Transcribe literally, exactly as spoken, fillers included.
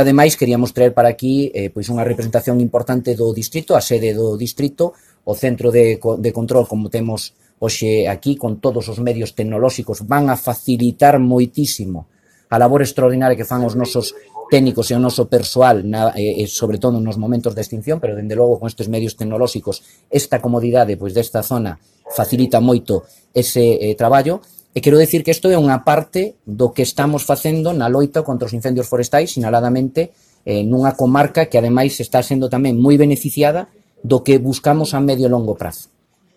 Ademais, queríamos traer para aquí eh, pois unha representación importante do distrito, a sede do distrito, o centro de, de control, como temos hoxe aquí, con todos os medios tecnolóxicos, van a facilitar moitísimo a labor extraordinaria que fan os nosos técnicos e o noso persoal, na, eh, sobre todo nos momentos de extinción, pero, dende logo, con estes medios tecnolóxicos, esta comodidade pois, desta zona facilita moito ese eh, traballo. E quero dicir que isto é unha parte do que estamos facendo na loita contra os incendios forestais, sinaladamente eh, nunha comarca que, ademais, está sendo tamén moi beneficiada do que buscamos a medio e longo prazo.